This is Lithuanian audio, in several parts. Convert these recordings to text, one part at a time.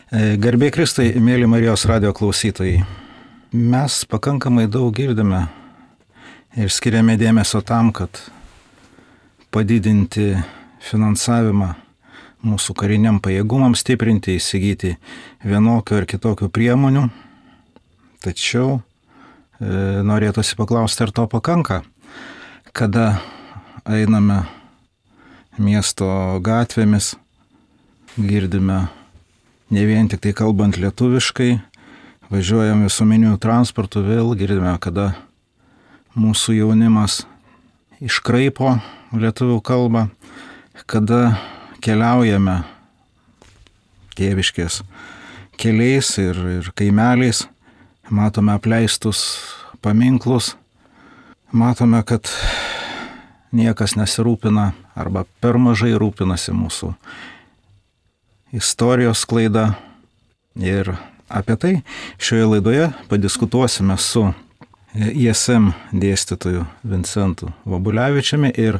Garbė Kristui, mėly Marijos radijo klausytojai. Mes pakankamai daug girdime ir skiriame dėmesio tam, kad padidinti finansavimą mūsų kariniam pajėgumams stiprinti, įsigyti vienokių ir kitokių priemonių. Tačiau norėtųsi paklausti, ar to pakanka, kada einame miesto gatvėmis, girdime ne vien tik tai kalbant lietuviškai, važiuojam visuomeniniu transportu, vėl girdime, kada mūsų jaunimas iškraipo lietuvių kalbą, kada keliaujame tėviškės keliais ir kaimeliais, matome apleistus paminklus, matome, kad niekas nesirūpina arba per mažai rūpinasi mūsų istorijos sklaida. Ir apie tai šioje laidoje padiskutuosime su ISM dėstytoju Vincentu Vobulevičiumi ir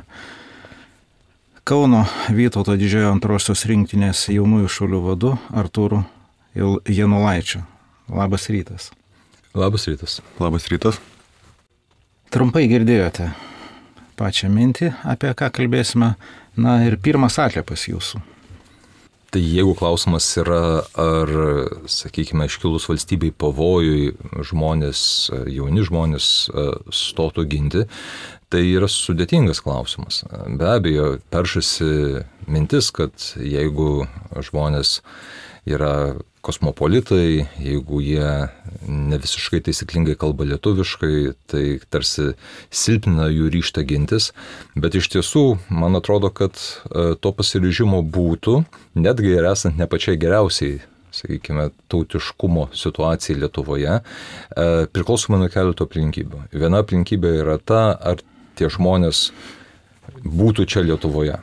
Kauno Vytauto Didžiojo antrosios rinktinės jaunųjų šaulių vadu Artūru Janulaičiu. Labas rytas. Labas rytas. Labas rytas. Trumpai girdėjote pačią mintį, apie ką kalbėsime. Na ir pirmas atliepas jūsų. Tai jeigu klausimas yra, ar, sakykime, iškilus valstybei pavojui jauni žmonės stotų ginti, tai yra sudėtingas klausimas. Be abejo, peršasi mintis, kad jeigu žmonės yra kosmopolitai, jeigu jie ne visiškai taisyklingai kalba lietuviškai, tai tarsi silpnina jų ryžtą gintis, bet iš tiesų, man atrodo, kad to pasiryžimo būtų, netgi ir esant ne pačiai geriausiai, sakykime, tautiškumo situacijai Lietuvoje, priklausomai nuo keleto aplinkybių. Viena aplinkybė yra ta, ar tie žmonės būtų čia Lietuvoje.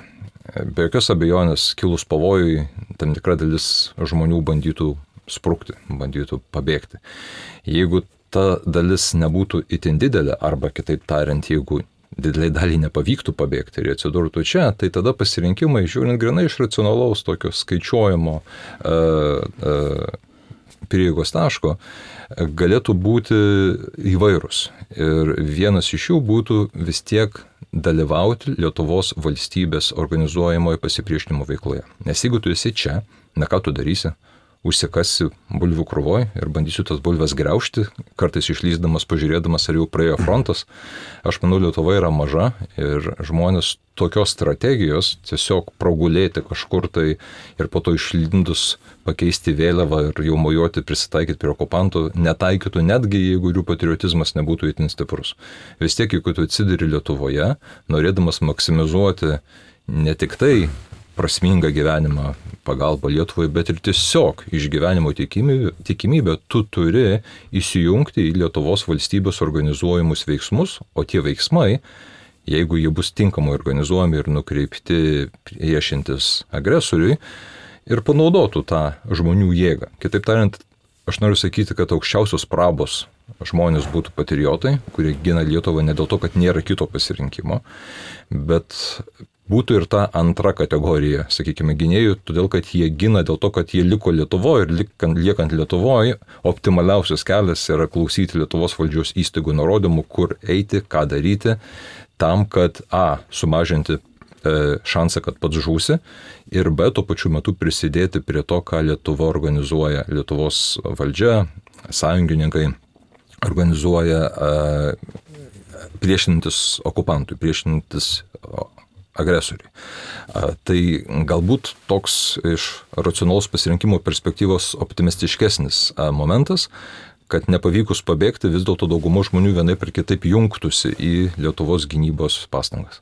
Be jokios abejonės, kilus pavojui, tam tikra dalis žmonių bandytų sprukti, bandytų pabėgti. Jeigu ta dalis nebūtų itin didelė, arba kitaip tariant, jeigu dideliai daliai nepavyktų pabėgti ir atsidurtų čia, tai tada pasirinkimai, žiūrint grinai iš racionalaus tokio skaičiuojamo prieigos taško, galėtų būti įvairūs. Ir vienas iš jų būtų vis tiek dalyvauti Lietuvos valstybės organizuojamoje pasipriešinimo veikloje. Nes jeigu tu esi čia, na ką tu darysi? Užsikasi bulvių krūvoj ir bandysiu tas bulves graužti, kartais išlysdamas, pažiūrėdamas, ar jau praėjo frontas. Aš manau, Lietuva yra maža ir žmonės tokios strategijos tiesiog pragulėti kažkur tai ir po to išlindus pakeisti vėliavą ir jau mojuoti, prisitaikyti prie okupantų, netaikytų netgi, jeigu jų patriotizmas nebūtų itin stiprus. Vis tiek, jeigu tu atsiduri Lietuvoje, norėdamas maksimizuoti ne tik tai prasmingą gyvenimą, pagalbą Lietuvai, bet ir tiesiog išgyvenimo tikimybę tu turi įsijungti į Lietuvos valstybės organizuojamus veiksmus, o tie veiksmai, jeigu jie bus tinkamai organizuojami ir nukreipti priešintis agresoriui, ir panaudotų tą žmonių jėgą. Kitaip tariant, aš noriu sakyti, kad aukščiausios prabos žmonės būtų patriotai, kurie gina Lietuvą ne dėl to, kad nėra kito pasirinkimo, bet būtų ir ta antra kategorija, sakykime, gynėjų, todėl kad jie gina dėl to, kad jie liko Lietuvoje ir liekant Lietuvoje, optimaliausias kelias yra klausyti Lietuvos valdžios įstaigų nurodymų, kur eiti, ką daryti, tam, kad sumažinti šansą, kad pats žūsi, ir B, tuo pačiu metu prisidėti prie to, ką Lietuva organizuoja, Lietuvos valdžia, sąjungininkai organizuoja priešinantis okupantui, priešinantis agresoriui. Tai galbūt toks iš racionalaus pasirinkimo perspektyvos optimistiškesnis momentas, kad nepavykus pabėgti, vis dėlto dauguma žmonių vienaip ir kitaip jungtųsi į Lietuvos gynybos pastangas.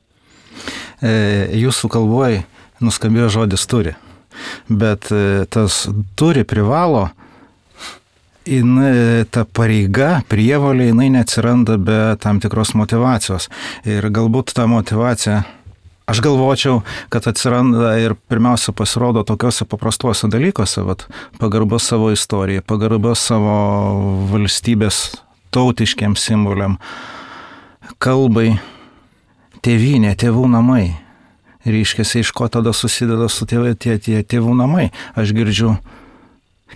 Jūsų kalboje nuskambėjo žodis turi, bet tas turi privalo, ta pareiga, prievolė, jinai neatsiranda be tam tikros motyvacijos. Ir galbūt ta motyvacija, aš galvočiau, kad atsiranda ir pirmiausia pasirodo tokiuose paprastuose dalykuose, pagarbos savo istorijai, pagarbos savo valstybės tautiškiam simboliam, kalbai, tėvynė, tėvų namai. Reiškiasi, iš ko tada susideda su tėvų namai. Aš girdžiu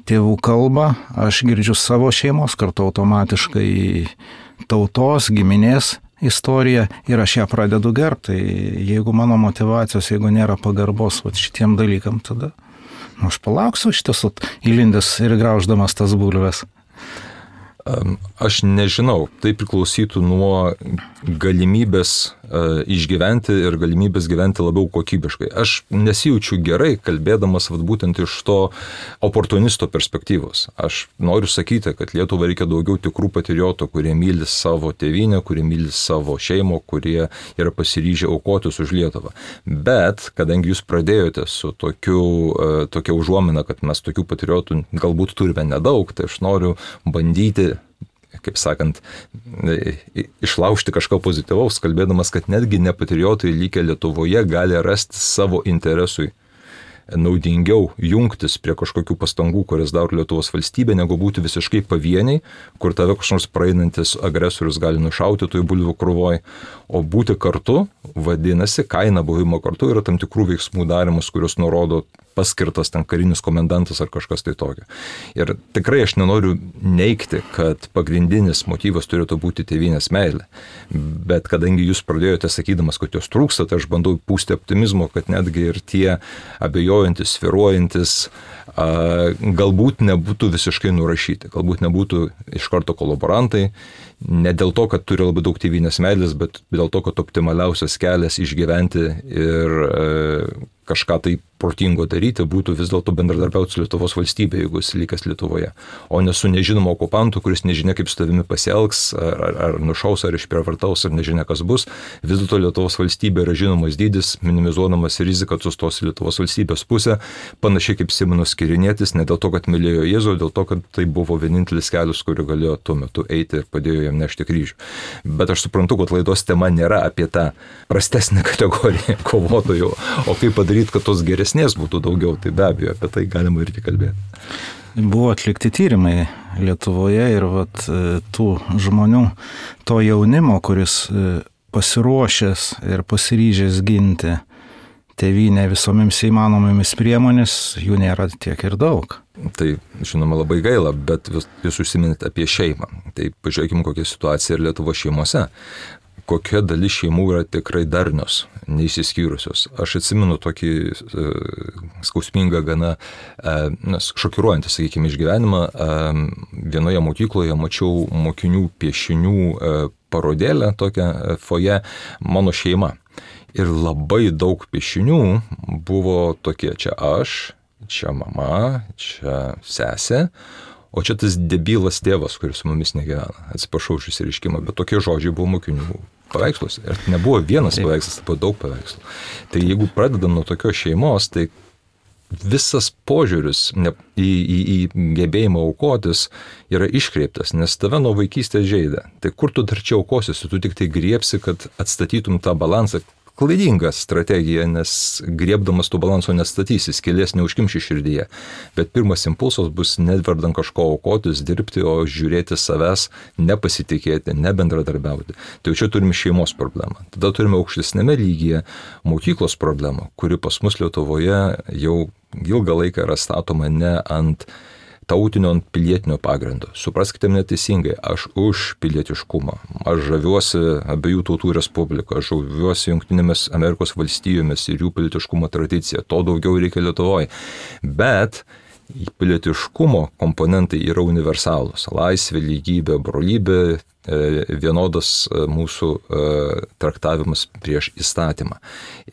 tėvų kalbą, aš girdžiu savo šeimos, kartu automatiškai tautos, giminės istoriją ir aš ją pradedu gerbti. Tai jeigu mano motivacijos, jeigu nėra pagarbos šitiem dalykam, tada aš palauksiu šitas įlindęs ir grauždamas tas bulves. Aš nežinau, tai priklausytų nuo galimybės išgyventi ir galimybės gyventi labiau kokybiškai. Aš nesijaučiu gerai, kalbėdamas būtent iš to oportunisto perspektyvos. Aš noriu sakyti, kad Lietuvai reikia daugiau tikrų patriotų, kurie myli savo tėvynę, kurie myli savo šeimą, kurie yra pasiryžę aukotis už Lietuvą. Bet, kadangi jūs pradėjote su tokia užuomina, kad mes tokių patriotų galbūt turime nedaug, tai aš noriu bandyti, kaip sakant, išlaužti kažko pozityvaus, kalbėdamas, kad netgi nepatriotai likę Lietuvoje gali rasti savo interesui naudingiau jungtis prie kažkokių pastangų, kurias daro Lietuvos valstybė, negu būti visiškai pavieniai, kur tave kažkoks nors praeinantis agresorius gali nušauti toj bulvių krūvoj, o būti kartu, vadinasi, kaina buvimo kartu yra tam tikrų veiksmų darimas, kurios nurodo paskirtas ten karinis komendantas ar kažkas tai tokio. Ir tikrai aš nenoriu neigti, kad pagrindinis motyvas turėtų būti tėvynės meilė. Bet kadangi jūs pradėjote sakydamas, kad jos trūksta, tai aš bandau pūsti optimizmo, kad netgi ir tie abejojantis, svyruojantis, galbūt nebūtų visiškai nurašyti, galbūt nebūtų iš karto kolaborantai, ne dėl to, kad turi labai daug tėvynės meilės, bet dėl to, kad optimaliausias kelias išgyventi ir kažką tai protingo daryti būtų vis dėlto bendradarbiauti su Lietuvos valstybė, jeigu jis likęs Lietuvoje, o ne su nežinomu okupantu, kuris nežinia kaip su tavimi pasielgs, ar nušaus, ar išprievartaus, ar nežinia kas bus. Vis dėlto Lietuvos valstybė yra žinomas dydis, minimizuodamas riziką sustos Lietuvos valstybės pusę, panašiai kaip Simonas Kirinietis, ne dėl to, kad mylėjo Jėzų, dėl to, kad tai buvo vienintelis kelias, kuriuo galėjo tuo metu eiti ir padėjo jam nešti kryžių. Bet aš suprantu, kad laidos tema nėra apie tą prastesnę kategoriją kovotojų, o kaip padaryti, kad tos geresnės būtų daugiau, tai be abejo, apie tai galima irgi kalbėti. Buvo atlikti tyrimai Lietuvoje ir tų žmonių, to jaunimo, kuris pasiruošęs ir pasiryžęs ginti tėvynę visomis įmanomomis priemonės, jų nėra tiek ir daug. Tai, žinoma, labai gaila, bet jūs užsiminėte apie šeimą. Tai pažiūrėkime, kokia situacija ir Lietuvos šeimose. Kokia dalis šeimų yra tikrai darnios, neįsiskyrusios. Aš atsimenu tokį skausmingą, gana šokiruojantį, sakykime, išgyvenimą. Vienoje mokykloje mačiau mokinių piešinių parodėlę, tokią foje, mano šeima. Ir labai daug piešinių buvo tokie, čia aš, čia mama, čia sesė, o čia tas debilas tėvas, kuris su mumis negyvena. Atsiprašau už išsireiškimą, bet tokie žodžiai buvo mokinių paveiksluose. Ir nebuvo vienas paveikslas, tai buvo daug paveikslų. Tai jeigu pradedam nuo tokios šeimos, tai visas požiūris į gebėjimą aukotis yra iškreiptas, nes tave nuo vaikystės žeidė. Tai kur tu dar čia aukosies, tu tik tai griebsi, kad atstatytum tą balansą. Klaidinga strategija, nes griebdamas tų balanso nestatysi, skylės neužkimši širdyje. Bet pirmas impulsas bus nedvardant kažko aukotis, dirbti, o žiūrėti savęs, nepasitikėti, nebendradarbiauti. Tai čia turime šeimos problemą. Tada turime aukštesnėme lygyje mokyklos problemą, kuri pas mus Lietuvoje jau ilgą laiką yra statoma ne ant tautinio, ant pilietinio pagrindo. Supraskite mane teisingai, aš už pilietiškumą. Aš žaviuosi abiejų tautų respubliką, aš žaviuosi Jungtinėmis Amerikos valstijomis ir jų pilietiškumo tradicija. To daugiau reikia Lietuvoje. Bet pilietiškumo komponentai yra universalūs. Laisvė, lygybė, brolybė, vienodas mūsų traktavimas prieš įstatymą.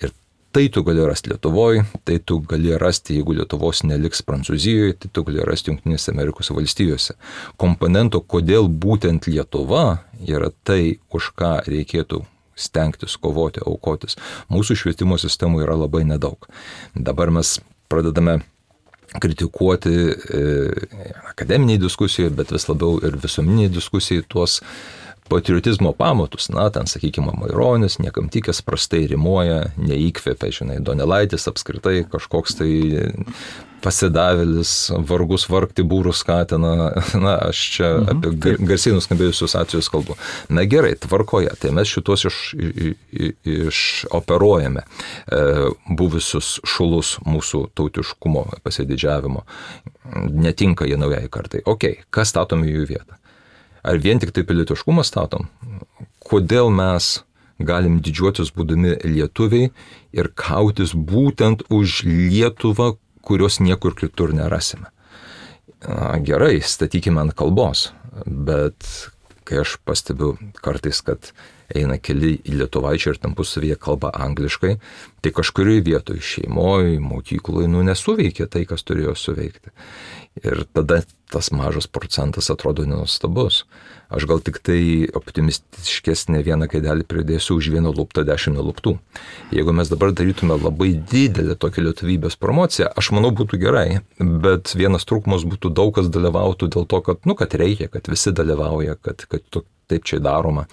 Ir tai tu gali rasti Lietuvoje, tai tu gali rasti, jeigu Lietuvos neliks Prancūzijoje, tai tu gali rasti Jungtinėse Amerikos valstijose. Komponento, kodėl būtent Lietuva yra tai, už ką reikėtų stengtis, kovoti, aukotis. Mūsų švietimo sistemų yra labai nedaug. Dabar mes pradedame kritikuoti akademiniai diskusijai, bet vis labiau ir visuomeniniai diskusijai tuos patriotizmo pamatus, na, ten, sakykime, Maironis, niekam tikęs prastai rimuoja, neįkvėpia, žinai, Donelaitis apskritai kažkoks tai pasidavėlis, vargus vargti būrus skatina, na, aš čia apie garsiai nuskambėjusius atvejus kalbu. Na gerai, tvarkoje, tai mes šitos išoperuojame buvusius šulus mūsų tautiškumo pasididžiavimo. Netinka jie naujai kartai. Ok, kas statom į jų vietą? Ar vien tik tai pilietiškumą statom? Kodėl mes galim didžiuotis būdami lietuviai ir kautis būtent už Lietuvą, kurios niekur kitur nerasime? Gerai, statykime ant kalbos, bet kai aš pastebiu kartais, kad eina keli lietuvaičiai ir tarpusavyje kalba angliškai, tai kažkurioje vietoje šeimoje, mokykloje, nesuveikia tai, kas turėjo suveikti. Ir tada tas mažas procentas atrodo nenuostabus. Aš gal tik tai optimistiškesnė vieną kaidelį pridėsiu už vieną luptą 10 neluptų. Jeigu mes dabar darytume labai didelę tokią lietuvybės promociją, aš manau būtų gerai, bet vienas trūkumas būtų daug kas dalyvautų dėl to, kad reikia, kad visi dalyvauja, kad taip čia daroma.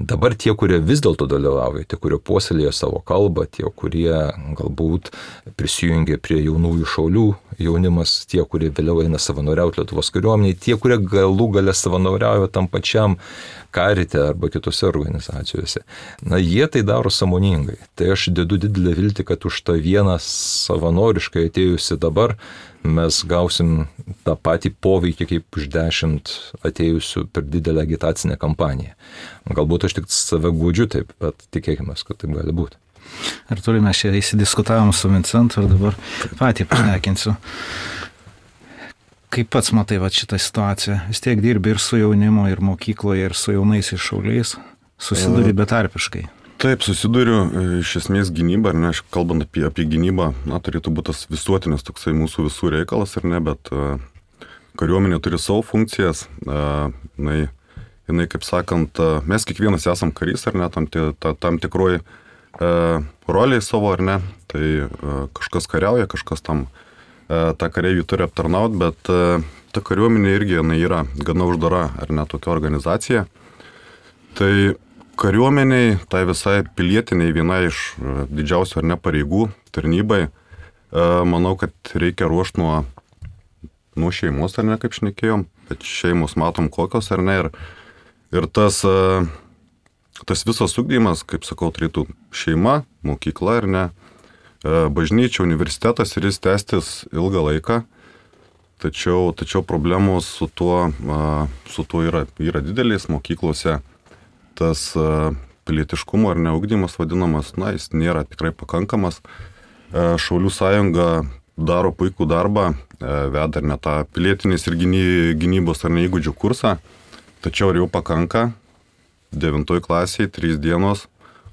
Dabar tie, kurie vis dėlto dalyvauja, tie, kurie puoselėja savo kalbą, tie, kurie galbūt prisijungia prie jaunųjų šaulių jaunimas, tie, kurie vėliau eina savanoriauti Lietuvos kariuomeniai, tie, kurie galų gale savanoriauja tam pačiam karite arba kitose organizacijose. Na, jie tai daro sąmoningai. Tai aš dedu didelę viltį, kad už tą vieną savanoriškai atėjusi dabar mes gausim tą patį poveikį kaip už 10 atėjusių per didelę agitacinę kampaniją. Galbūt aš tik save guodžiu taip, bet tikėkime, kad taip gali būti. Ar turime čia įsidiskutavom su Vincentu ir dabar patį pašnekinsiu. Kaip pats matai šitą situaciją? Vis tiek dirbi ir su jaunimu, ir mokykloje, ir su jaunais šauliais. Susiduri betarpiškai. Taip, susiduriu, iš esmės gynyba, ar ne, kalbant apie gynybą, na, turėtų būti tas visuotinis toksai mūsų visų reikalas, ar ne, bet kariuomenė turi savo funkcijas, jinai, kaip sakant, mes kiekvienas esam karys, ar ne, tam tikroj roliai savo, ar ne, tai kažkas kariauja, kažkas tam tą kareivį turi aptarnauti, bet ta kariuomenė irgi, jinai yra gana uždara, ar ne, tokia organizacija. Tai kariuomeniai, tai visai pilietiniai, viena iš didžiausių ar ne pareigų tarnybai, manau, kad reikia ruošti nuo šeimos, ar ne, kaip šnekėjom, bet šeimos matom kokios, ar ne, ir tas visas ugdymas, kaip sakau, turėtų šeima, mokykla, ar ne, bažnyčia, universitetas ir jis tęstis ilgą laiką, tačiau problemos su tuo yra didelis mokyklose. Tas pilietiškumo ar neugdymas vadinamas, na, jis nėra tikrai pakankamas. Šaulių sąjunga daro puikų darbą, veda ar ne tą pilietinės ir gynybos ar ne įgūdžių kursą, tačiau ar jau pakanka 9 klasiai 3 dienos,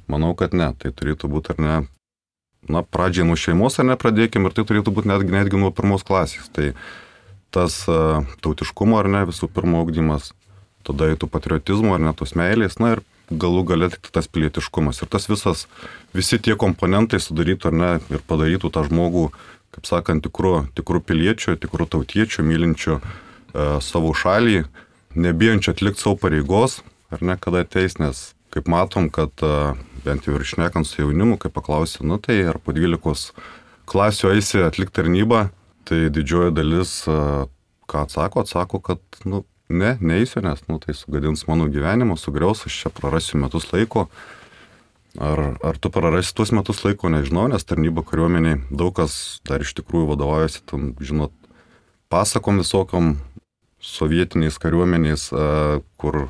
manau, kad ne. Tai turėtų būti ar ne, na, pradžiai nuo šeimos ar ne pradėkim ir tai turėtų būti netgi nuo 1 klasės. Tai tas tautiškumo ar ne visų pirma ugdymas, tada į tų patriotizmo ar net tos meilės, na ir galų gale tik tas pilietiškumas. Ir tas visi tie komponentai sudarytų ar ne ir padarytų tą žmogų, kaip sakant, tikrų piliečių, tikrų tautiečių, mylinčių savo šalį, nebijančių atlikti savo pareigos, ar ne, kada ateis, nes kaip matom, kad bent jau ir šnekant su jaunimu, kai paklausi, nu tai ar po 12 klasių eisi atlikti tarnybą, tai didžioji dalis, ką atsako, kad, nu, neįsiu, nes tai sugadins mano gyvenimą, sugriaus, aš čia prarasiu metus laiko. Ar tu prarasi tuos metus laiko, nežinau, nes tarnyba kariuomeniai daug kas dar iš tikrųjų vadovaujasi, tam, žinot, pasakom visokiom sovietiniais kariuomeniais, kur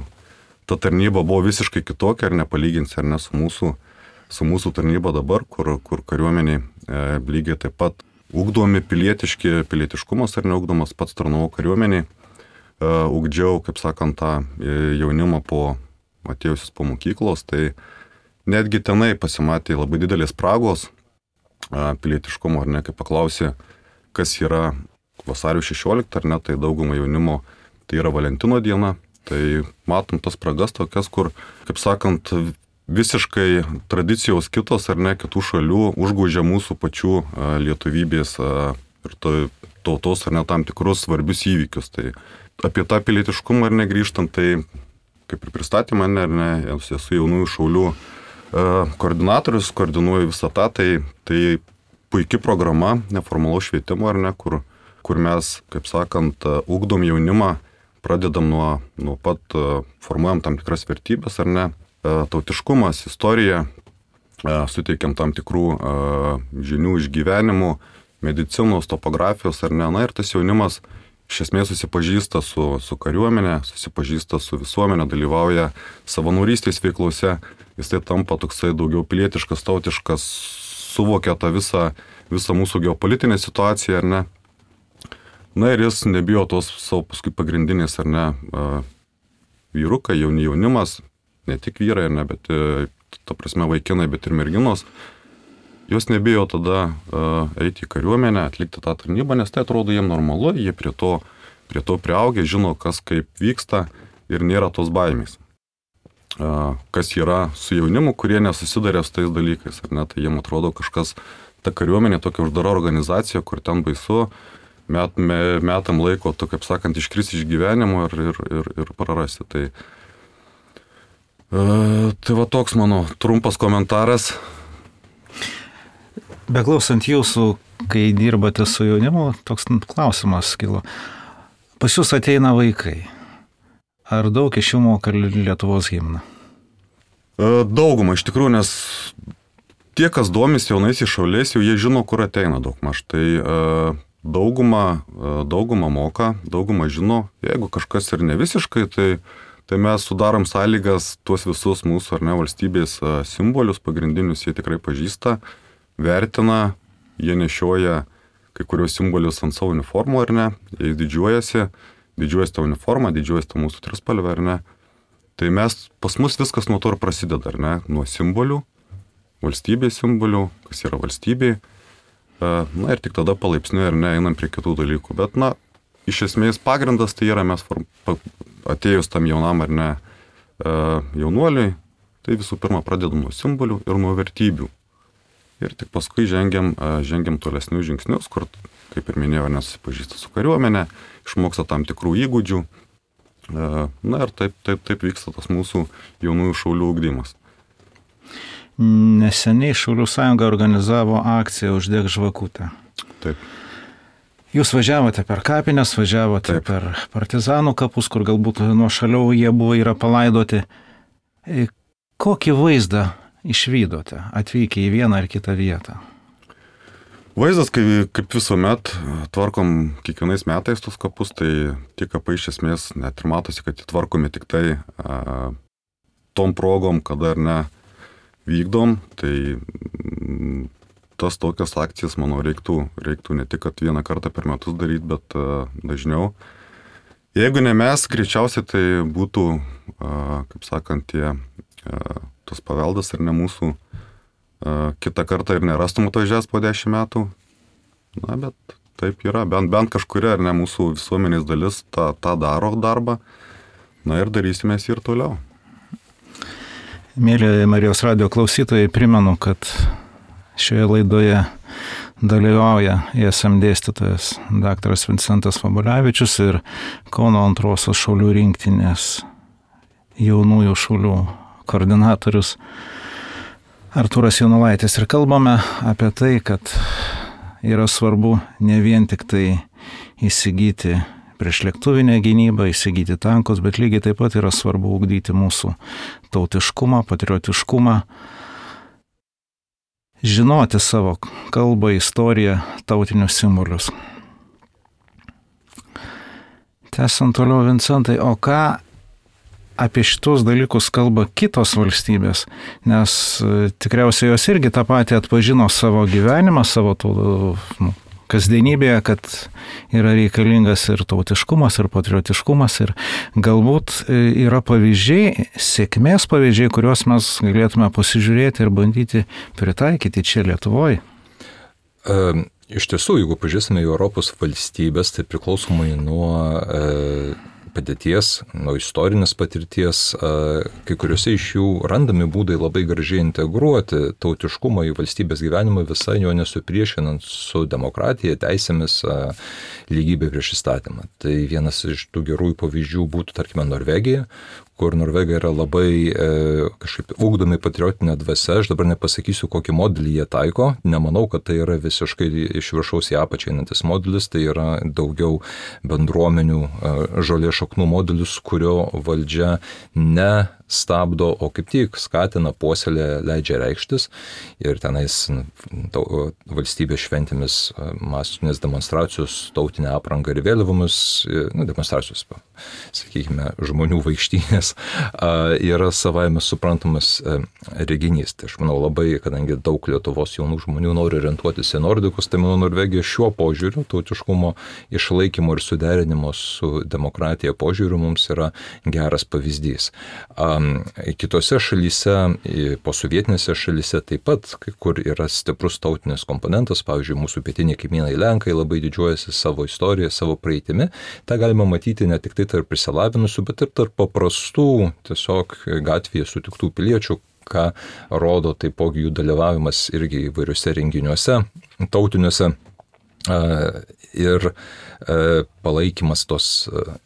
ta tarnyba buvo visiškai kitokia, ar nepalyginsi, ar ne su mūsų tarnyba dabar, kur kariuomeniai lygiai taip pat ugdomi pilietiškumas ar neugdomas, pats tarnavau kariuomeniai. Ugdžiau, kaip sakant, tą jaunimą atėjusius po mokyklos, tai netgi tenai pasimatė labai didelės spragos pilietiškumo, ar ne, kai paklausė, kas yra vasario 16, ar ne, tai dauguma jaunimo, tai yra Valentino diena, tai matom tas spragas tokias, kur, kaip sakant, visiškai tradicijos kitos, ar ne, kitų šalių užgožia mūsų pačių lietuvybės ir tautos, ar ne, tam tikrus svarbius įvykius. Tai apie tą pilietiškumą ar negrįžtant, tai kaip ir pristatė mane, ar ne, esu jaunųjų šaulių koordinatorius, koordinuoju visą tą, tai puikia programa neformalaus švietimo, ar ne, kur mes, kaip sakant, ugdom jaunimą, pradedam nuo pat formuojam tam tikras vertybės, ar ne, tautiškumas, istorija, suteikiam tam tikrų žinių iš gyvenimų, medicinos, topografijos, ar ne, na ir tas jaunimas iš esmės susipažįsta su kariuomenė, susipažįsta su visuomenė, dalyvauja savanorystės veiklose, jis tai tampa toksai daugiau pilietiškas, tautiškas, suvokia tą visą mūsų geopolitinę situaciją, ar ne. Na ir jis nebijo tos savo paskui pagrindinės, ar ne, vyrukai, jaunimas, ne tik vyrai, ar ne, bet ta prasme vaikinai, bet ir merginos, jos nebijo tada eiti į kariuomenę, atlikti tą tarnybą, nes tai atrodo jiems normalu, jie prie to priaugę, žino, kas kaip vyksta ir nėra tos baimės. Kas yra su jaunimu, kurie nesusidarė su tais dalykais, ar ne, tai jiems atrodo kažkas, ta kariuomenė tokia uždara organizacija, kur ten baisu, metam laiko, to, kaip sakant, iškris iš gyvenimo ir prarasti. Tai va toks mano trumpas komentaras. Beklausant jūsų, kai dirbate su jaunimu, toks klausimas kilo. Pas jūs ateina vaikai. Ar daug iš jų moka Lietuvos himną? Dauguma iš tikrųjų, nes tie, kas domis jaunaisiais šauliais, jau jie žino, kur ateina daugmaž. Tai dauguma moka, dauguma žino. Jeigu kažkas ir ne visiškai, tai mes sudarom sąlygas tuos visus mūsų ar ne valstybės simbolius, pagrindinius jie tikrai pažįsta, vertina, jie nešioja kai kurios simbolius ant savo uniformų, ar ne, jie didžiuojasi tą uniformą, didžiuojasi tą mūsų trispalvę, ar ne. Tai pas mus viskas nuo to ir prasideda, ar ne, nuo simbolių, valstybės simbolių, kas yra valstybė, na ir tik tada palaipsniui, ar ne, einam prie kitų dalykų. Bet, na, iš esmės pagrindas tai yra mes atėjus tam jaunam, ar ne, jaunuoliui, tai visų pirma pradedam nuo simbolių ir nuo vertybių. Ir tik paskui žengiam tolesnius žingsnius, kur, kaip ir minėjau, nesusipažįsta su kariuomenė, išmoksta tam tikrų įgūdžių. Na ir taip vyksta tas mūsų jaunųjų šaulių ugdymas. Neseniai Šaulių sąjunga organizavo akciją Uždek žvakutę. Taip. Jūs važiavote per kapines, važiavote Taip. Per partizanų kapus, kur galbūt nuo šaliau jie yra palaidoti. Kokį vaizdą išvydote, atvykę į vieną ar kitą vietą? Vaizdas, kaip visuomet, tvarkom kiekvienais metais tus kapus, tai tie kapai iš esmės net ir matosi, kad tvarkomi tik tai tom progom, kada ar ne vykdom, tai tas tokias akcijas, manau, reiktų ne tik, kad vieną kartą per metus daryti, bet dažniau. Jeigu ne mes, greičiausiai tai būtų, kaip sakant, tas paveldas ar ne mūsų, kitą kartą ir nerastum atvažiavęs po 10 metų. Na, bet taip yra, bent kažkuria ar ne mūsų visuomenės dalis tą daro darbą. Na ir darysime ir toliau. Mėly Marijos radijo klausytojai, primenu, kad šioje laidoje dalyvauja ISM dėstytojas dr. Vincentas Vabulevičius ir Kauno 2 šaulių rinktinės jaunųjų šaulių koordinatorius Artūras Janulaitis. Ir kalbame apie tai, kad yra svarbu ne vien tik tai įsigyti priešlėktuvinę gynybą, įsigyti tankus, bet lygiai taip pat yra svarbu ugdyti mūsų tautiškumą, patriotiškumą, žinoti savo kalbą, istoriją, tautinius simbolius. Tęsiant toliau, Vincentai, o ką apie šitos dalykus kalba kitos valstybės, nes tikriausiai jos irgi tą patį atpažino savo gyvenimą, savo kasdienybėje, kad yra reikalingas ir tautiškumas, ir patriotiškumas, ir galbūt yra pavyzdžiai, sėkmės pavyzdžiai, kuriuos mes galėtume pasižiūrėti ir bandyti pritaikyti čia Lietuvoje. Iš tiesų, jeigu pažiūrėsime į Europos valstybės, tai priklausomai nuo padėties, nuo istorinės patirties, kai kuriuose iš jų randami būdai labai gražiai integruoti tautiškumą į valstybės gyvenimą, visai jo nesupriešinant su demokratija, teisėmis, lygybė prieš įstatymą. Tai vienas iš tų gerųjų pavyzdžių būtų, tarkime, Norvegija, kur Norvegai yra labai kažkaip ugdomi patriotinė dvasia. Aš dabar nepasakysiu, kokį modelį jie taiko. Nemanau, kad tai yra visiškai iš viršaus į apačią einantis modelis. Tai yra daugiau bendruomenių žolės šaknų modelis, kurio valdžia ne stabdo, o kaip tik skatina, puoselė, leidžia reikštis. Ir tenais valstybės šventėmis masinės demonstracijos, tautinė apranga ir vėliavomis, demonstracijos, sakykime, žmonių vaikštynės yra savaime suprantamas reginys. Tai aš manau labai, kadangi daug Lietuvos jaunų žmonių nori orientuotis į nordikus, tai manau Norvegija šiuo požiūriu, tautiškumo išlaikymo ir suderinimo su demokratija požiūriu mums yra geras pavyzdys. Kitose šalyse, posovietinėse šalyse taip pat, kur yra stiprus tautinis komponentas, pavyzdžiui, mūsų pietiniai kaimynai Lenkai labai didžiuojasi savo istoriją, savo praeitimi. Ta galima matyti ne tik tai tarp prisilavinusių, bet ir tarp paprastų, tiesiog gatvėje sutiktų piliečių, ką rodo taipogi jų dalyvavimas irgi įvairiuose renginiuose, tautiniuose. Ir palaikymas tos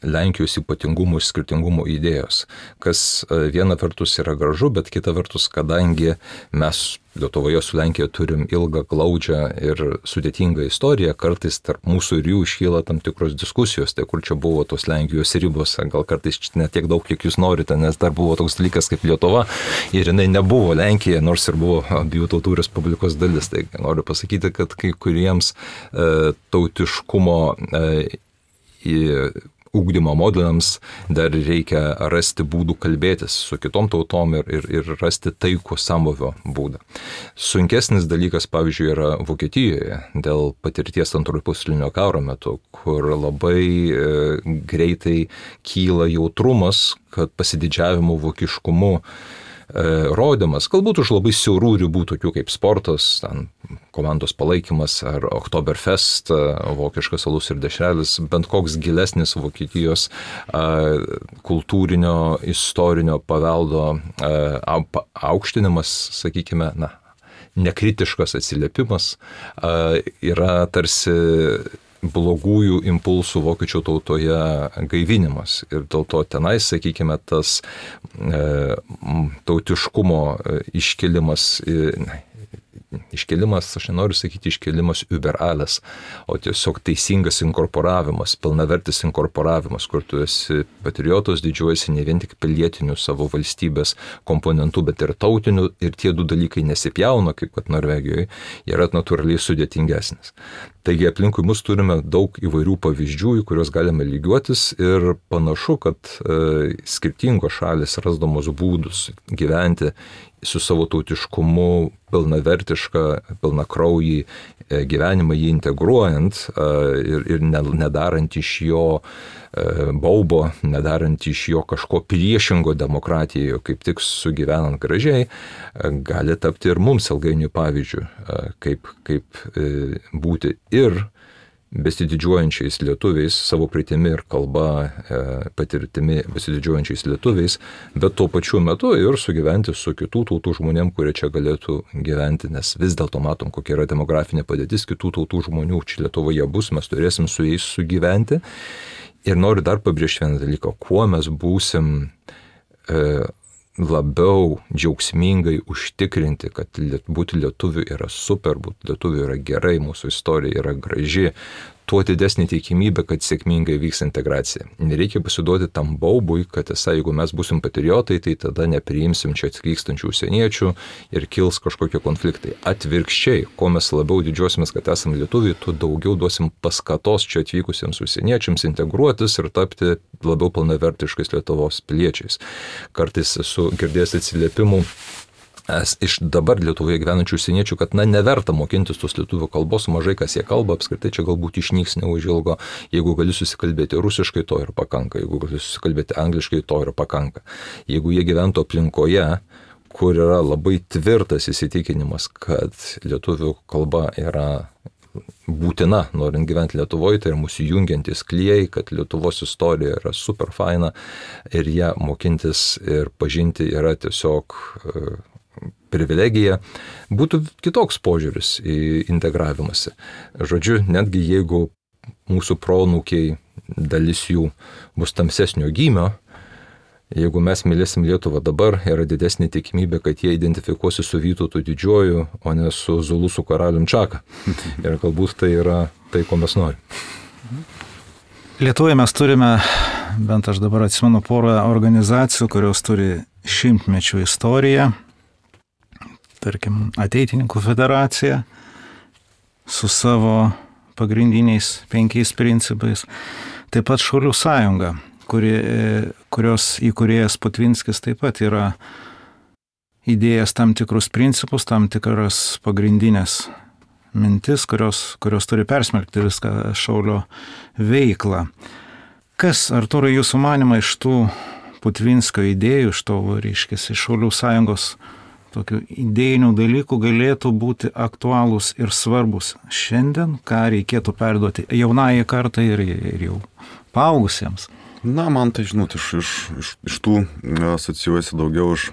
Lenkijos ypatingumų ir skirtingumų idėjos, kas viena vertus yra gražu, bet kita vertus, kadangi mes Lietuvoje su Lenkija turim ilgą, glaudžią ir sudėtingą istoriją, kartais tarp mūsų ir jų iškyla tam tikros diskusijos, tai kur čia buvo tos Lenkijos ribos, gal kartais ne tiek daug, kiek jūs norite, nes dar buvo toks dalykas kaip Lietuva ir jinai nebuvo Lenkija, nors ir buvo abiejų tautų respublikos dalis. Tai noriu pasakyti, kad kai kuriems tautiškumo ugdymo modeliams dar reikia rasti būdų kalbėtis su kitom tautom ir rasti taikų sambūvio būdą. Sunkesnis dalykas, pavyzdžiui, yra Vokietijoje dėl patirties antrojo pasaulinio karo metu, kur labai greitai kyla jautrumas, kad pasididžiavimu vokiškumu rodymas, galbūt už labai siaurų ribų, tokių kaip sportas, ten, komandos palaikymas ar Oktoberfest, vokiškas alus ir dešrelis, bent koks gilesnis Vokietijos kultūrinio, istorinio paveldo aukštinimas, sakykime, nekritiškas atsiliepimas, yra tarsi blogųjų impulsų vokiečių tautoje gaivinimas. Ir dėl to tenais, sakykime, tas tautiškumo iškelimas, aš nenoriu sakyti iškelimas über alles, o tiesiog teisingas inkorporavimas, pilnavertis inkorporavimas, kur tu esi patriotas, didžiuojasi ne vien tik pilietiniu savo valstybės komponentu, bet ir tautiniu, ir tie du dalykai nesipjauna, kaip kad Norvegijoje, yra natūraliai sudėtingesnis. Taigi aplinkui mus turime daug įvairių pavyzdžių, į kuriuos galime lygiuotis ir panašu, kad skirtingos šalis rasdamos būdus gyventi su savo tautiškumu pilnavertišką, pilnakraujį gyvenimą jį integruojant ir nedarant iš jo baubo, nedarant iš jo kažko priešingo demokratijoje, kaip tik sugyvenant gražiai, gali tapti ir mums ilgainiui pavyzdžių, kaip būti ir besididžiuojančiais lietuviais, savo praeitimi ir kalba, patirtimi besididžiuojančiais lietuviais, bet tuo pačiu metu ir sugyventi su kitų tautų žmonėm, kurie čia galėtų gyventi, nes vis dėlto matom, kokia yra demografinė padėtis, kitų tautų žmonių čia Lietuvoje bus, mes turėsim su jais sugyventi. Ir noriu dar pabrėžti vieną dalyką, kuo mes būsim labiau džiaugsmingai užtikrinti, kad būti lietuviu yra super, būti lietuviu yra gerai, mūsų istorija yra graži, tuo didesnė tikimybė, kad sėkmingai vyks integracija. Nereikia pasiduoti tam baubui, kad jeigu mes būsim patriotai, tai tada nepriimsim čia atvykstančių užsieniečių ir kils kažkokie konfliktai. Atvirkščiai, kuo mes labiau didžiuosimės, kad esame lietuviai, tuo daugiau duosim paskatos čia atvykusiems užsieniečiams integruotis ir tapti labiau pilnavertiškais Lietuvos piliečiais. Kartais esu girdėjęs atsiliepimų iš dabar Lietuvoje gyvenančių užsieniečių, kad neverta mokintis tos lietuvių kalbos, mažai kas jie kalba, apskritai čia galbūt išnyks neužilgo, jeigu gali susikalbėti rusiškai, to ir pakanka, jeigu gali susikalbėti angliškai, to ir pakanka. Jeigu jie gyventų aplinkoje, kur yra labai tvirtas įsitikinimas, kad lietuvių kalba yra būtina, norint gyventi Lietuvoje, tai yra mūsų jungiantis klijai, kad Lietuvos istorija yra super faina ir ją mokintis ir pažinti yra tiesiog privilegija, būtų kitoks požiūris į integravimąsi. Žodžiu, netgi jeigu mūsų proanūkiai, dalis jų bus tamsesnio gymio, Jeigu mes mylėsim Lietuvą dabar, yra didesnė tikimybė, kad jie identifikuosi su Vytautu Didžiuoju, o ne su Zulusų karalium Čaka. Ir galbūt tai yra tai, ko mes norim. Lietuvoje mes turime, bent aš dabar atsimenu, porą organizacijų, kurios turi 100-mečių istoriją. Tarkim, Ateitininkų federacija su savo pagrindiniais 5 principais. Taip pat Šaulių sąjunga, kurios įkūrėjas Putvinskis taip pat yra įdėjęs tam tikrus principus, tam tikras pagrindinės mintis, kurios turi persmelkti viską Šaulio veiklą. Kas, Artūrai, jūsų manymą iš tų Putvinskio idėjų, iš to, reiškia, iš Šaulių sąjungos tokių idėjinių dalykų galėtų būti aktualūs ir svarbus šiandien, ką reikėtų perduoti jaunai kartai ir jau paaugusiems? Na, man tai, žinot, iš tų asocijuojasi daugiau iš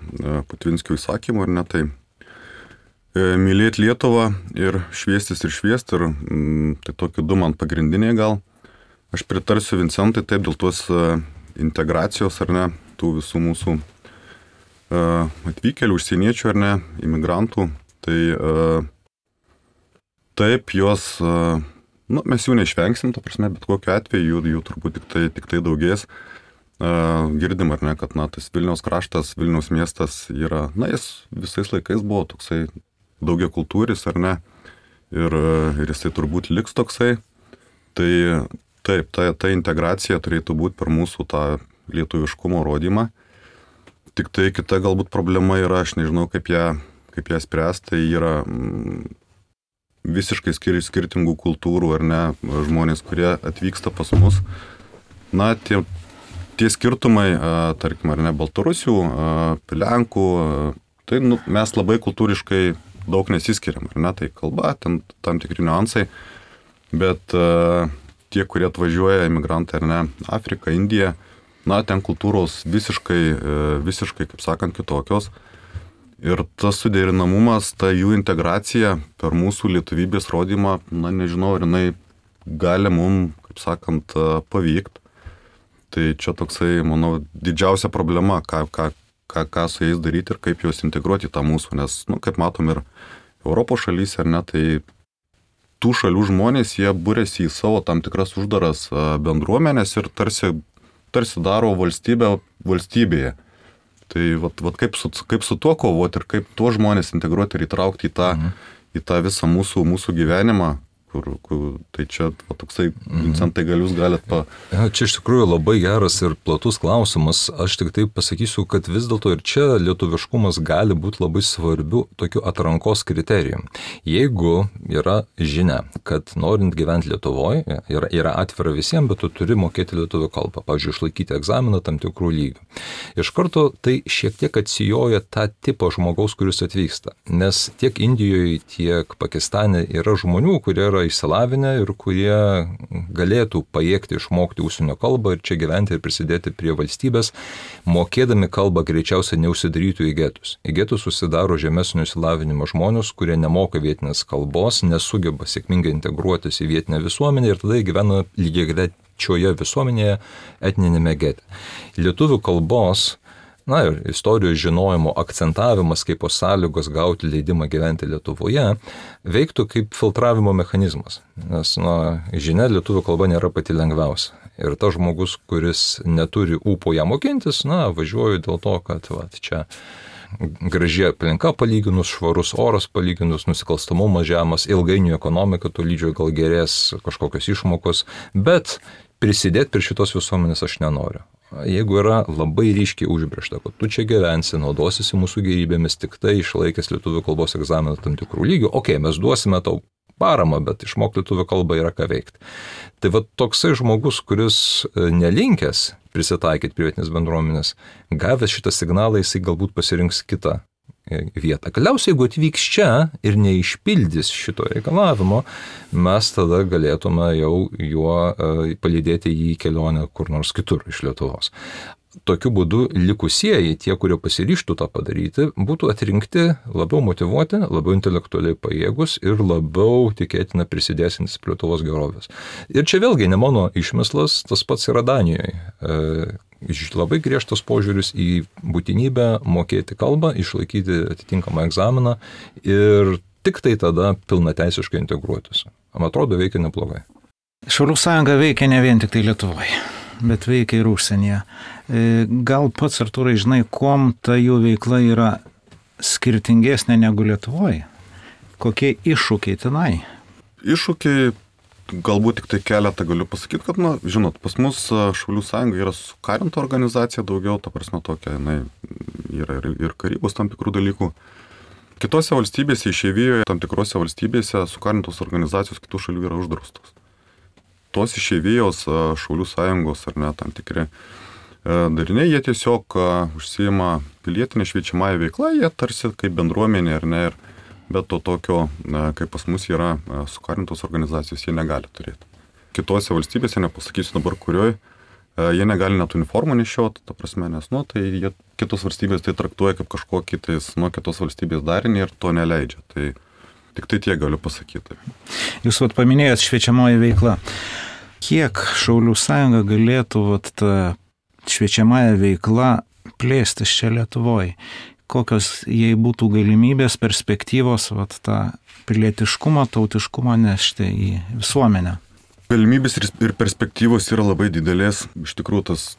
Putvinskio įsakymų, ar ne, tai mylėti Lietuvą ir šviestis, ir tai tokie 2 man pagrindiniai gal. Aš pritarsiu Vincentai taip dėl tos integracijos, ar ne, tų visų mūsų atvykėlių, užsieniečių, ar ne, imigrantų, tai taip, jos, mes jų neišvengsim, ta prasme, bet kokiu atveju jų turbūt tik tai daugės. Girdim, ar ne, kad, tas Vilniaus kraštas, Vilniaus miestas yra, jis visais laikais buvo toksai daugiakultūris, ar ne, ir jisai turbūt liks toksai. Tai taip, ta integracija turėtų būti per mūsų tą lietuviškumo rodymą. Tik tai kita galbūt problema yra, aš nežinau, kaip ją spręsti, tai yra visiškai skirtingų kultūrų, ar ne, žmonės, kurie atvyksta pas mus. Na, tie skirtumai, tarkim, ar ne, Baltarusių, Lenkų, tai mes labai kultūriškai daug nesiskiriam, ar ne, tai kalba, tam tikri niuansai, bet tie, kurie atvažiuoja, emigrantai, ar ne, Afrika, Indija, ten kultūros visiškai, kaip sakant, kitokios. Ir tas suderinamumas, ta jų integracija per mūsų lietuvybės rodymą, nežinau, ar jinai gali mums, kaip sakant, pavykti. Tai čia toksai, manau, didžiausia problema, ką su jais daryti ir kaip juos integruoti į tą mūsų. Nes, kaip matom ir Europos šalyse, ar ne, tai tų šalių žmonės, jie būrėsi į savo tam tikras uždaras bendruomenės ir tarsi daro valstybę valstybėje. Tai kaip su tuo kovoti ir kaip tuos žmonės integruoti ir įtraukti į tą visą mūsų gyvenimą, tai čia toksai, Vincentai, gal jūs galite Čia iš tikrųjų labai geras ir platus klausimas. Aš tik taip pasakysiu, kad vis dėlto ir čia lietuviškumas gali būti labai svarbiu tokiu atrankos kriterijum. Jeigu yra žinia, kad norint gyventi Lietuvoje, yra atvira visiems, bet tu turi mokėti lietuvių kalbą, pavyzdžiui, išlaikyti egzaminą tam tikrų lygių. Iš karto tai šiek tiek atsijoja tą tipą žmogaus, kuris atvyksta. Nes tiek Indijoje, tiek Pakistane yra žmonių, kurie yra išsilavinę ir kurie galėtų pajėgti išmokti užsienio kalbą ir čia gyventi ir prisidėti prie valstybės, mokėdami kalbą greičiausiai neužsidarytų į getus. Į getus susidaro žemesnio išsilavinimo žmonės, kurie nemoka vietinės kalbos, nesugeba sėkmingai integruotis į vietinę visuomenę ir tada gyvena lygiagrečioje visuomenėje etninėme gete. Lietuvių kalbos ir istorijos žinojimo akcentavimas kaip sąlygos gauti leidimą gyventi Lietuvoje veiktų kaip filtravimo mechanizmas. Nes, žinia, lietuvių kalba nėra pati lengviausia. Ir tas žmogus, kuris neturi ūpo ją mokintis, važiuoju dėl to, kad čia graži aplinka palyginus, švarus oras palyginus, nusikalstamumas žemas, ilgainiui ekonomika tolydžio gal gerės kažkokios išmokos, bet prisidėti prie šitos visuomenės aš nenoriu. Jeigu yra labai ryškiai užbrėžta, kad tu čia gyvensi, naudosisi mūsų gerybėmis tik tai išlaikęs lietuvių kalbos egzaminą tam tikrų lygių, mes duosime tau paramą, bet išmokti lietuvių kalbą yra ką veikti. Tai toksai žmogus, kuris nelinkęs prisitaikyti prie vietinės bendruomenės, gavęs šitą signalą, jisai galbūt pasirinks kitą vietą. Galiausiai, jeigu atvyks čia ir neišpildys šito reikalavimo, mes tada galėtume jau juo palydėti jį į kelionę kur nors kitur iš Lietuvos. Tokiu būdu likusieji, tie, kurie pasiryžtų tą padaryti, būtų atrinkti labiau motyvuoti, labiau intelektualiai pajėgus ir labiau tikėtina prisidėsintis prie Lietuvos gerovės. Ir čia vėlgi ne mano išmislas, tas pats yra Danijoje. labai griežtas požiūris į būtinybę mokėti kalbą, išlaikyti atitinkamą egzaminą ir tik tai tada pilnateisiškai integruotis. Man atrodo, veikia neblogai. Šaulių sąjunga veikia ne vien tik tai Lietuvoje, bet veikia ir užsienyje. Gal pats, Artūrai, žinai, kuom ta jų veikla yra skirtingesnė negu Lietuvoje? Kokie iššūkiai tenai? Iššūkiai, galbūt tik tai keletą galiu pasakyti, kad, žinot, pas mus Šaulių sąjunga yra sukarinta organizacija daugiau, ta prasme tokia, yra ir karybos tam tikrų dalykų. Kitose valstybėse, išeivijoje, tam tikrose valstybėse sukarintos organizacijos kitų šalių yra uždraustos. Tos išeivijos Šaulių sąjungos ar ne tam tikri dariniai, jie tiesiog užsiima pilietinę šviečiamąją veiklą, jie tarsi kaip bendruomenė ar ne, bet to tokio, kaip pas mus yra sukarintos organizacijos, jie negali turėti. Kitose valstybėse, nepasakysiu dabar kurioje, jie negali net uniformų nešioti, ta prasme, nes, tai jie kitos valstybės tai traktuoja kaip kažkokį kitos valstybės darinį ir to neleidžia. Tai tik tai tiek galiu pasakyti. Jūs paminėjot šviečiamoji veikla. Kiek Šaulių sąjunga galėtų tą šviečiamąją veiklą plėstis čia Lietuvoje? Kokios jai būtų galimybės, perspektyvos tą pilietiškumą, tautiškumą nešti į visuomenę? Galimybės ir perspektyvos yra labai didelės. Iš tikrųjų, tas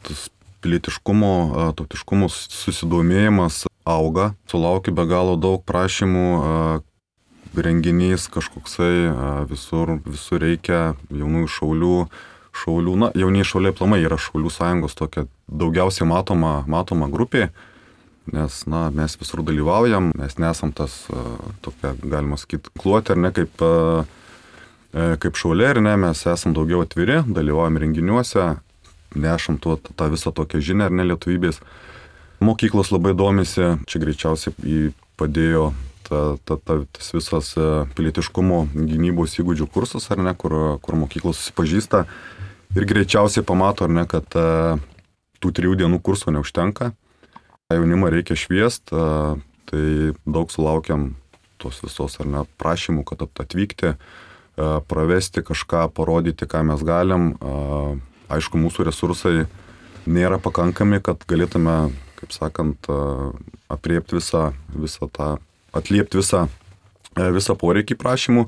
pilietiškumo, tautiškumo susidomėjimas auga. Sulaukia be galo daug prašymų, renginys kažkoksai, visur reikia jaunųjų šaulių, jaunieji šauliai aplamai yra Šaulių sąjungos tokia daugiausiai matoma grupė, nes, mes visur dalyvaujam, mes nesam tas tokia, galima sakyti, kluotė, ar ne, kaip šauliai, ar ne, mes esam daugiau atviri, dalyvaujam renginiuose, nešam tą visą tokią žinią, ar ne, lietuvybės. Mokyklos labai domisi, čia greičiausiai padėjo tas visas pilietiškumo gynybos įgūdžių kursas, ar ne, kur mokyklos susipažįsta ir greičiausiai pamato, ar ne, kad tų 3 dienų kursų neužtenka. Jaunimą reikia šviest, tai daug sulaukiam tos visos, ar ne, prašymų, kad atvykti, pravesti kažką, parodyti, ką mes galim. Aišku, mūsų resursai nėra pakankami, kad galėtume, kaip sakant, apriepti atliepti visą poreikį prašymų,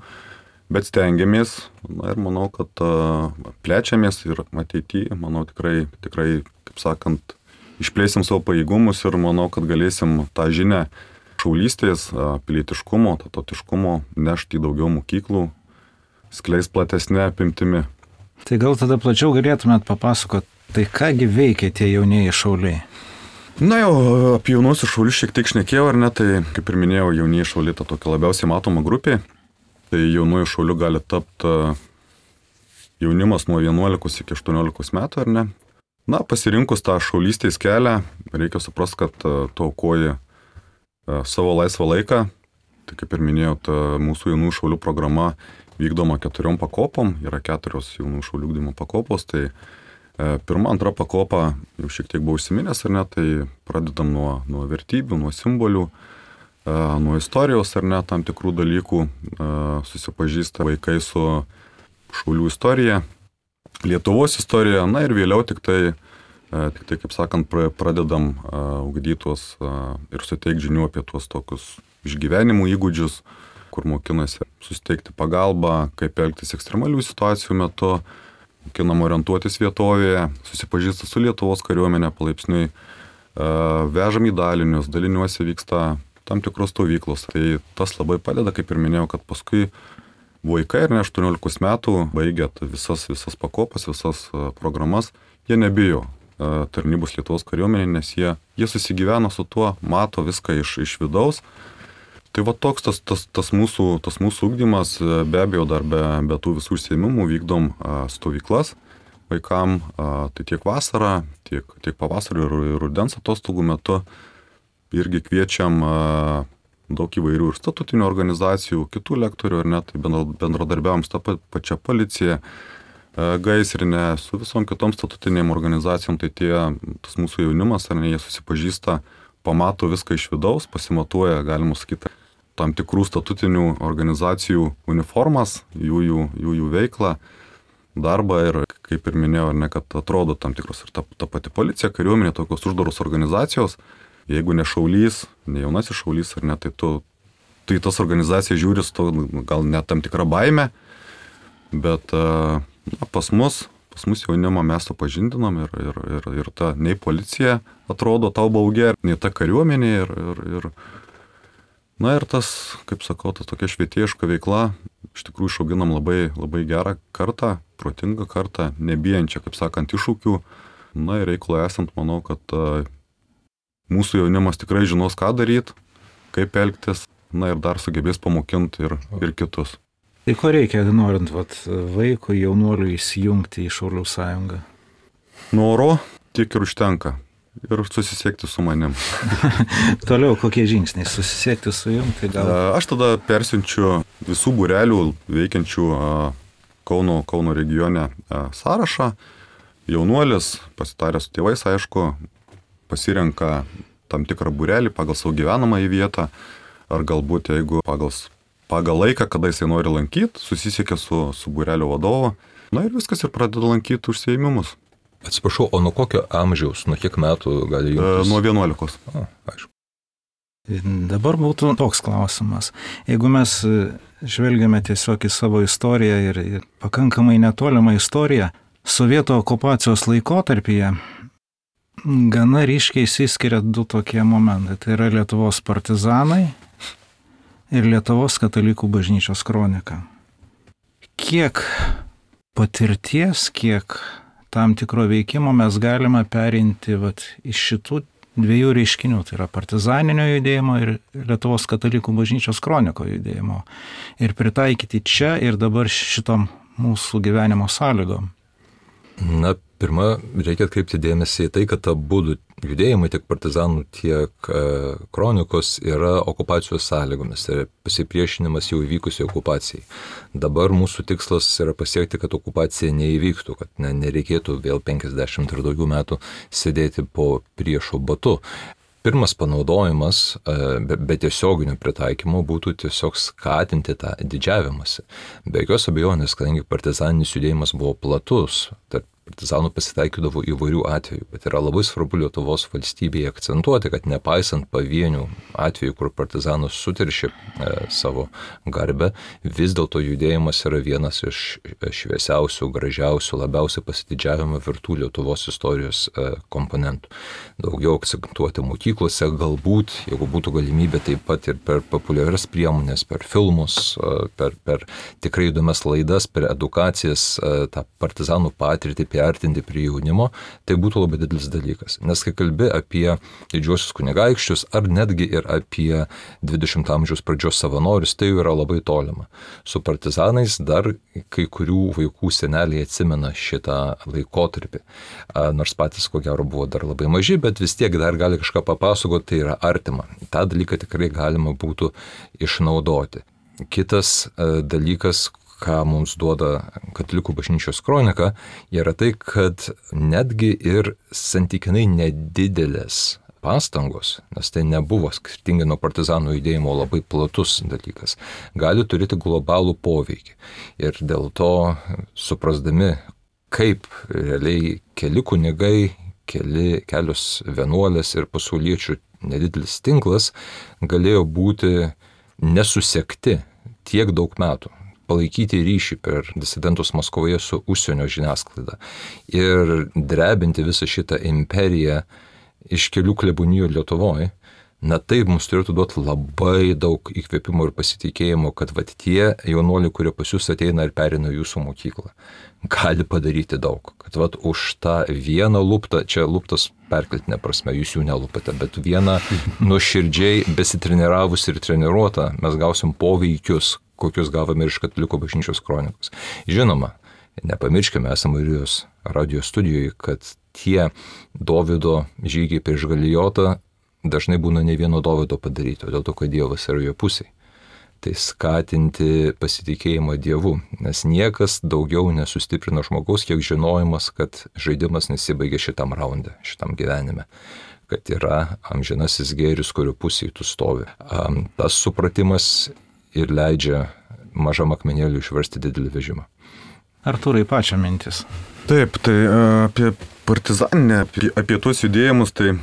bet stengiamės, ir manau, kad plečiamės ir ateityje, manau, tikrai, kaip sakant, išplėsim savo pajėgumus ir manau, kad galėsim tą žinią šaulystės, pilietiškumo, tautiškumo nešti į daugiau mokyklų, skleis platesnė apimtimi. Tai gal tada plačiau galėtumėt papasakoti, tai kągi veikia tie jaunieji šauliai? Jau apie jaunuosius šaulius šiek tiek šnekėjau, ar ne, tai kaip ir minėjau, jaunieji šauliai ta tokia labiausiai matoma grupė, tai jaunųjų šaulių gali tapti jaunimas nuo 11 iki 18 metų, ar ne. Pasirinkus tą šaulystės kelią, reikia suprasti, kad tu aukoji savo laisvą laiką, tai kaip ir minėjau, mūsų jaunųjų šaulių programa vykdoma 4 pakopom, yra 4 jaunųjų šaulių ugdymo pakopos, tai pirma, antra pakopa jau šiek tiek buvo užsiminęs, ar ne, tai pradedam nuo vertybių, nuo simbolių, nuo istorijos, ar ne, tam tikrų dalykų, susipažįsta vaikai su šaulių istorija, Lietuvos istorija, ir vėliau tik tai, kaip sakant, pradedam ugdytos ir suteikti žinių apie tuos tokius išgyvenimų įgūdžius, kur mokinasi susteikti pagalbą, kaip elgtis ekstremalių situacijų metu, mokinam orientuotis vietovėje, susipažįsta su Lietuvos kariuomenė palaipsniui, vežam į dalinius, daliniuose vyksta tam tikros stovyklos. Tai tas labai padeda, kaip ir minėjau, kad paskui vaikai, 18 metų, baigėt visas pakopas, visas programas, jie nebijo tarnybos Lietuvos kariuomenė, nes jie susigyvena su tuo, mato viską iš vidaus. Tai toks tas mūsų ugdymas, be abejo, dar be tų visų užsiėmimų vykdom stovyklas vaikam, tai tiek vasarą, tiek pavasario ir rudens atostogų metu irgi kviečiam daug įvairių ir statutinių organizacijų, kitų lektorių, ar ne, tai bendradarbiavom su ta pačia policija, gaisrinė, su visom kitom statutinėm organizacijom, tai tas mūsų jaunimas, ar ne, jie susipažįsta, pamato viską iš vidaus, pasimatuoja, galima sakyti, tam tikrų statutinių organizacijų uniformas, jų veiklą, darbą ir kaip ir minėjau, ar ne, kad atrodo tam tikros ir ta pati policija, kariuomenė, tokios uždaros organizacijos, jeigu ne šaulys, ne jaunasis šaulys, ar ne, tai tas organizacijas žiūri su to, gal net tam tikra baime, bet pas mus jaunimą mes to pažindinom ir ta nei policija atrodo tau baugia, nei ta kariuomenė ir tas, kaip sakau, tas tokia švietėjiška veikla, iš tikrųjų išauginam labai, labai gerą kartą, protingą kartą, nebijančią, kaip sakant, iššūkių. Ir reikalo esant, manau, kad mūsų jaunimas tikrai žinos, ką daryti, kaip elgtis, ir dar sugebės pamokinti ir kitus. Tai ko reikia, norint vaikui, jaunuoliui įsijungti į Šaulių sąjungą? Noro tiek ir užtenka. Ir susisiekti su manim. Toliau kokie žingsniai? Susisiekti su jum? Tai gal... Aš tada persiunčiu visų būrelių veikiančių Kauno regione sąrašą. Jaunuolis, pasitaręs su tėvais, aišku, pasirenka tam tikrą būrelį pagal savo gyvenamąją vietą, ar galbūt jeigu pagal laiką, kada jisai nori lankyti, susisiekia su būrelio vadovu, ir viskas ir pradeda lankyti užsiėmimus. Atsiprašau, o nuo kokio amžiaus, nuo kiek metų gali jungtis? Nuo 11. Aišku. Dabar būtų toks klausimas. Jeigu mes žvelgiame tiesiog į savo istoriją ir pakankamai netolimą istoriją, sovietų okupacijos laikotarpyje gana ryškiai išsiskiria du tokie momentai. Tai yra Lietuvos partizanai ir Lietuvos katalikų bažnyčios kronika. Kiek patirties, kiek tam tikro veikimo mes galime perimti iš šitų dviejų reiškinių, tai yra partizaninio judėjimo ir Lietuvos katalikų bažnyčios kroniko judėjimo, ir pritaikyti čia ir dabar šitom mūsų gyvenimo sąlygom. Pirma, reikia atkreipti dėmesį į tai, kad abu judėjimai, tiek partizanų, tiek kronikos, yra okupacijos sąlygomis, tai yra pasipriešinimas jau įvykusiai okupacijai. Dabar mūsų tikslas yra pasiekti, kad okupacija neįvyktų, kad nereikėtų vėl 50 ir daugiau metų sėdėti po priešo batu. Pirmas panaudojimas, be tiesioginio pritaikymo, būtų tiesiog skatinti tą didžiavimąsi. Be jokios abejonės, kadangi partizaninis judėjimas buvo platus, tarp partizanų pasitaikydavo įvairių atvejų, bet yra labai svarbu Lietuvos valstybėje akcentuoti, kad nepaisant pavienių atvejų, kur partizanas suteršė savo garbę, vis dėlto judėjimas yra vienas iš šviesiausių, gražiausių, labiausiai pasididžiavimo vertų Lietuvos istorijos komponentų. Daugiau akcentuoti mokyklose, galbūt, jeigu būtų galimybė, taip pat ir per populiarias priemonės, per filmus, per tikrai įdomias laidas, per edukacijas, tą partizanų patirtį priartinti prie jaunimo, tai būtų labai didelis dalykas. Nes kai kalbi apie didžiuosius kunigaikščius ar netgi ir apie 20 amžiaus pradžios savanorius, tai jau yra labai tolima. Su partizanais dar kai kurių vaikų seneliai atsimena šitą laikotarpį. Nors patys, ko gero, buvo dar labai maži, bet vis tiek dar gali kažką papasakoti, tai yra artima. Ta dalyką tikrai galima būtų išnaudoti. Kitas dalykas, ką mums duoda katalikų bažnyčios kronika, yra tai, kad netgi ir santykinai nedidelės pastangos, nes tai nebuvo skirtingai nuo partizanų judėjimo labai platus dalykas, gali turėti globalų poveikį. Ir dėl to, suprasdami, kaip realiai keli kunigai, kelios vienuolės ir pasauliečių nedidelis tinklas galėjo būti nesusekti tiek daug metų, palaikyti ryšį per disidentus Maskvoje su užsienio žiniasklaida ir drebinti visą šitą imperiją iš kelių klebonijų Lietuvoje, tai mums turėtų duoti labai daug įkvėpimo ir pasitikėjimo, kad tie jaunuoliai, kurie pas jūs ateina ir perina jūsų mokyklą, gali padaryti daug. Kad už tą vieną luptą, čia luptas perkeltinė prasme, jūs jų nelupate, bet vieną nuoširdžiai besitreniravus ir treniruotą mes gausim poveikius, kokius gavome ir iš katalikų bažnyčios kronikos. Žinoma, nepamirškime, esame Marijos radijo studijoje, kad tie Dovydo žygiai prieš Galijotą dažnai būna ne vieno Dovydo padaryti, dėl to, kad Dievas yra jo pusėje. Tai skatinti pasitikėjimą Dievu, nes niekas daugiau nesustiprina žmogaus, kiek žinojimas, kad žaidimas nesibaigia šitam raunde, šitam gyvenime, kad yra amžinasis gėris, kurio pusėje tu stovi. Tas supratimas ir leidžia mažam akmenėliui išversti didelį vežimą. Artūrai, pačio mintis. Taip, tai apie partizaninę, apie tuos judėjimus, tai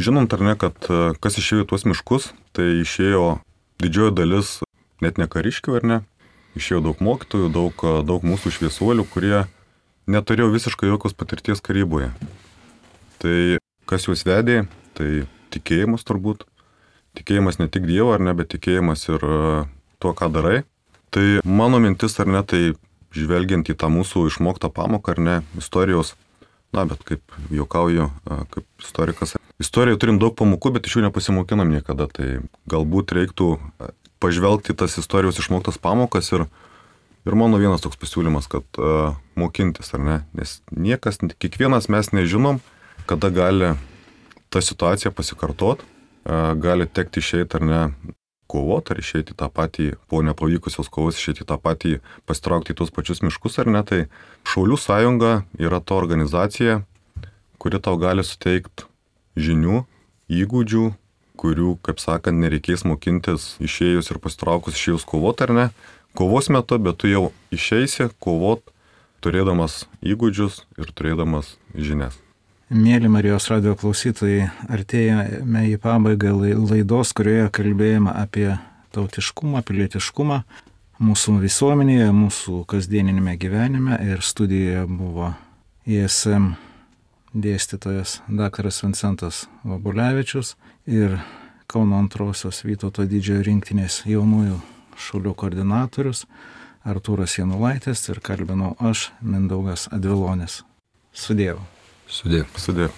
žinant ar ne, kad kas išėjo į tuos miškus, tai išėjo didžioji dalis net ne kariškių, ar ne, išėjo daug mokytojų, daug mūsų šviesuolių, kurie neturėjo visiškai jokios patirties karyboje. Tai kas juos vedė, tai tikėjimas turbūt. Tikėjimas ne tik Dievo, ar ne, bet tikėjimas ir tuo, ką darai. Tai mano mintis, ar ne, tai žvelgiant į tą mūsų išmoktą pamoką, ar ne, istorijos, na, bet kaip juokauju, kaip istorikas. Istorijoje turim daug pamokų, bet iš jų nepasimokinam niekada. Tai galbūt reiktų pažvelgti tas istorijos išmoktas pamokas ir mano vienas toks pasiūlymas, kad mokintis, ar ne, nes niekas, kiekvienas mes nežinom, kada gali ta situacija pasikartot, gali tekti išeiti ar ne kovoti, ar išeiti tą patį, po nepavykusios kovos išeiti tą patį, pasitraukti į tuos pačius miškus ar ne, tai Šaulių sąjunga yra ta organizacija, kuri tau gali suteikti žinių, įgūdžių, kurių, kaip sakant, nereikės mokintis išėjus ir pasitraukus išėjus kovoti ar ne, kovos metu, bet tu jau išeisi kovoti, turėdamas įgūdžius ir turėdamas žinias. Mėly Marijos radijo klausytojai, artėjame į pabaigą laidos, kurioje kalbėjome apie tautiškumą, pilietiškumą mūsų visuomenėje, mūsų kasdieninėme gyvenime, ir studijoje buvo ISM dėstytojas dr. Vincentas Vabulevičius ir Kauno 2 Vytauto didžiojo rinktinės jaunųjų šaulių koordinatorius Artūras Janulaitis, ir kalbinau aš, Mindaugas Advilonis. Sudievu. Sudie.